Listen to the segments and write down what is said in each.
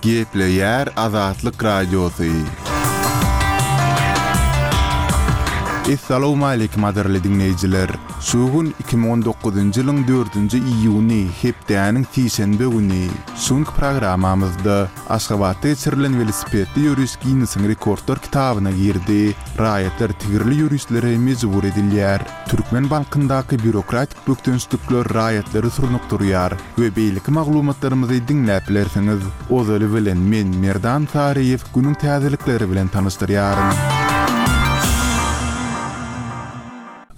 Gepleýär Azatlyk Radiosy. Essalawmaleýkim gadyrly diňleýjiler! Şu gün 2019-njy ýylyň dördünji iýuny, hepdäniň sişenbe güni. Şu günki programmamyzda Aşgabatda geçirilen welosipedli ýöriş Ginnesiň rekordlar kitabyna girdi. Raýatlar tigirli ýörişlere mejbur edilýär. Türkmen bankyndaky býurokratik bökdençlikler raýatlary surnukdyrýar we beýleki maglumatlarymyzy diňläp bilersiňiz. Ozaly bilen men Merdan Saryýew günüň täzelikleri bilen tanyşdyrýaryn.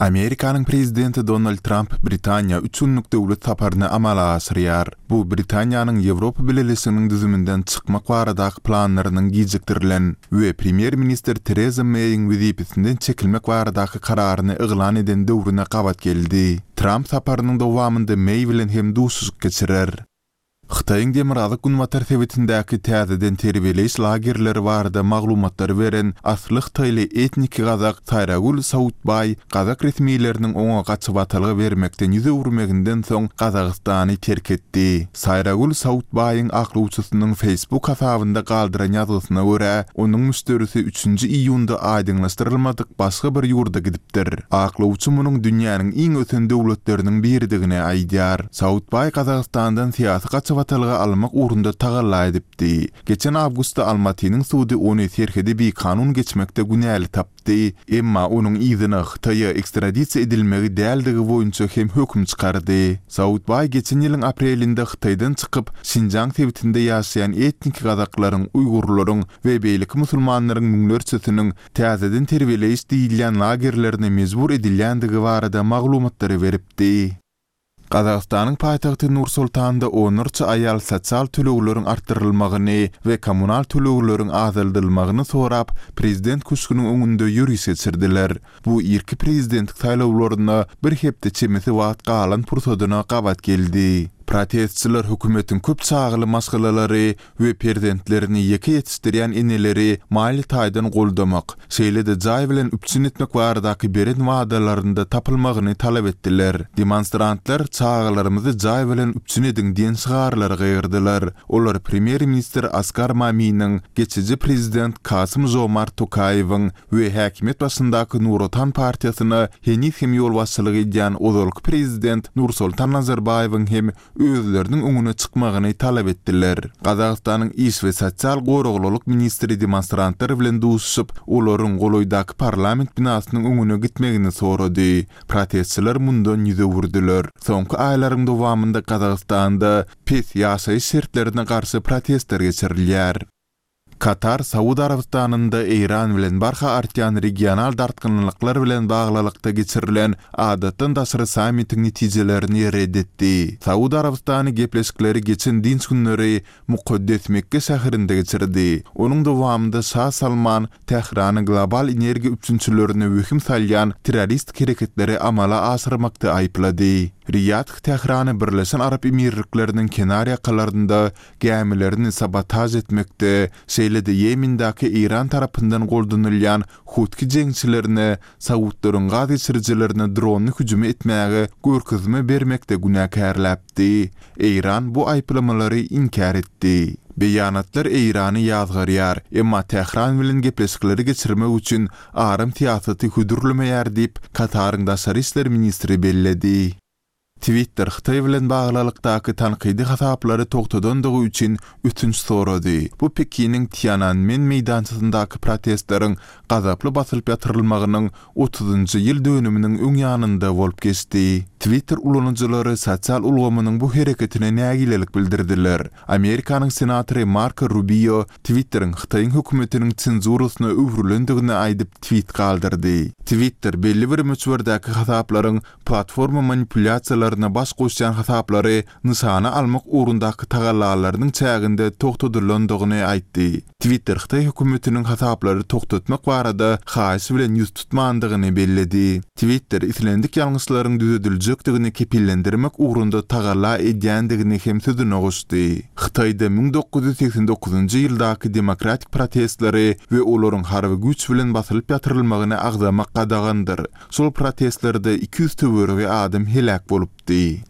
Amerikanyň prezidenti Donald Tramp Britaniýa üç günlük döwlet saparyny amala aşyrýar. Bu Britaniýanyň Ýewropa Bileleşiginiň düzüminden çykmak baradaky planlarynyň gijikdirilen we premýer-ministr Tereza Meýiň wezipesinden çekilmek baradaky kararyny yglan eden döwrüne gabat geldi. Tramp saparynyň dowamynda Meý bilen hem duşuşyk geçirer. Hytaýyň demirgazyk-günbatar sebitindäki täzeden terbiýeleýiş lagerleri barada maglumatlary beren asly hytaýly etniki gazak Saýragül Sautbaý gazak resmileriniň oňa gaçybatalga bermekden ýüz öwürmeginden soň Gazagystany terk etdi. Saýragül Sautbaýyň aklawçysynyň Facebook hasabynda galdyran ýazgysyna görä, onuň müşderisi üçünji iýunda aýdyňlaşdyrylmadyk başga bir ýurda gidipdir. Aklawçy munuň dünýäniň iň ösen döwletleriniň biridigini aýdýar. Sautbaý Gazagystandan syýasy gaçybatalga almak ugrunda tagalla edipdi. Geçen awgustda Almatynyň sudy ony serhedi bikanun geçmekde günäli tapdy, emma onuň yzyna Hytaýa ekstradisiýa edilmegi däldigi boýunça hem höküm çykardy. Sautbaý geçen ýylyň aprelinde Hytaýdan çykyp, Şinjaň sebitinde ýaşaýan etniki gazaklaryň, uýgurlaryň we beýleki musulmanlaryň müňlerçesiniň täzeden terbiýeleýiş diýilýän lagerlerine mejbur edilýändigi barada maglumatlary beripdi. Gazagystanyň paýtagty Nur-Sultanda onlarça aýal sosial tölegleriň artdyrylmagyny we kommunal tölegleriň azaldylmagyny sorap, prezident köşgüniň öňünde ýöriş geçirdiler. Bu irki prezidentlik saýlawlaryna bir hepde çemesi wagt galan pursadyna gabat geldi. Protestçiler hökümetiň köp çagaly maşgalalary we perzentlerini ýeke ýetişdirýän eneleri maliýe taýdan goldamak, şeýle-de jaý bilen üpjün etmek baradaky beren wadalarynda tapylmagyny talap etdiler. Demonstrantlar Çagalarymyzy jaý bilen üpjün ediň diýen şygarlary gygyrdylar. Olar premýer-ministr Askar Maminiň, geçiji prezident Kasym-Žomart Tokaýewiň we häkimiýet başyndaky Nur Otan partiýasyna heniz hem ýolbaşçylyk edýän ozalky prezident Nursoltan Nazarbaýewiň hem özleriniň öňüne çykmagyny talap etdiler. Gazagystanyň iş we sosial goraglylyk ministri demonstrantlar bilen duşuşyp, olaryň golaýdaky parlament binasynyň öňüne gitmegini sorady. Protestçiler mundan ýüz öwürdiler. Soňky aýlaryň dowamynda Gazagystanda pes ýaşaýyş şertlerine garşy protestler geçirilýär. Katar Saud Arabystanynda Eýran bilen barha artýan regional dartgynlyklar bilen baglylykda geçirilen adatdan daşary sammitiň netijelerini ret etdi. Saud Arabystany gepleşikleri geçen dynç günleri mukaddes Mekge şäherinde geçirdi. Onuň dowamynda Şa Salman Tährany global energiýa üpjünçilerine wehim salýan terroristik hereketleri amala aşyrmakda aýyplady. Riýadh Tährany Birleşen Arap Emirlikleriniň kenarýakalarynda gämilerini sabotaž etmekde, şeýle-de Ýemendäki Eýran tarapyndan goldanylýan Hutki jeňçilerine saudlaryň gaz geçirijilerine dronly hüjümi etmäge görkezme bermekde günäkärläpdi. Eýran bu aýyplamalary inkär etdi. Beýanatlar Eýrany ýazgarýar, emma Tähran bilen gepleşikleri geçirmek üçin aram syýasaty hödürlemeýär diýip, Kataryň daşary işler ministri belledi. Twitter Hytaý bilen baglylykdaky tankydy hasaplary togtadandygy üçin ötünç sorady. Bu Pekiniň Tiananmen meýdançasyndaky protestleriň gazaply basylyp ýatyrylmagynyň otuzynjy ýyl dönüminiň öň ýanynda bolup geçdi. Twitter ulanyjylary sosial ulgamynyň bu hereketine nägilelik bildirdiler. Amerikanyň senatory Marko Rubio Twitteriň Hytaýyň hökümetiniň senzurasyna öwrülendigini aýdyp twit galdyrdy. Twitter belli bir möçberdäki hasaplaryň platforma manipulýasiýalaryna baş goşýan hasaplary nyşana almak ugrundaky tagallalarynyň çäginde togtadylandygyny aýtdy. Twitter hytaý hökümetiniň hasaplary togtatmak barada haýyş bilen ýüz tutmandygyny belledi. Twitter islendik ýalňyşlaryň düzediljekdigini kepillendirmek ugrunda tagalla edýändigini hem sözüne goşdy. Hytaýda 1989-njy ýyldaky demokratik protestleri we olaryň harby güýç bilen basylyp ýatyrylmagyny agzamak gadagandyr. Şol protestlerde 200 töweregi adam heläk bolupdy.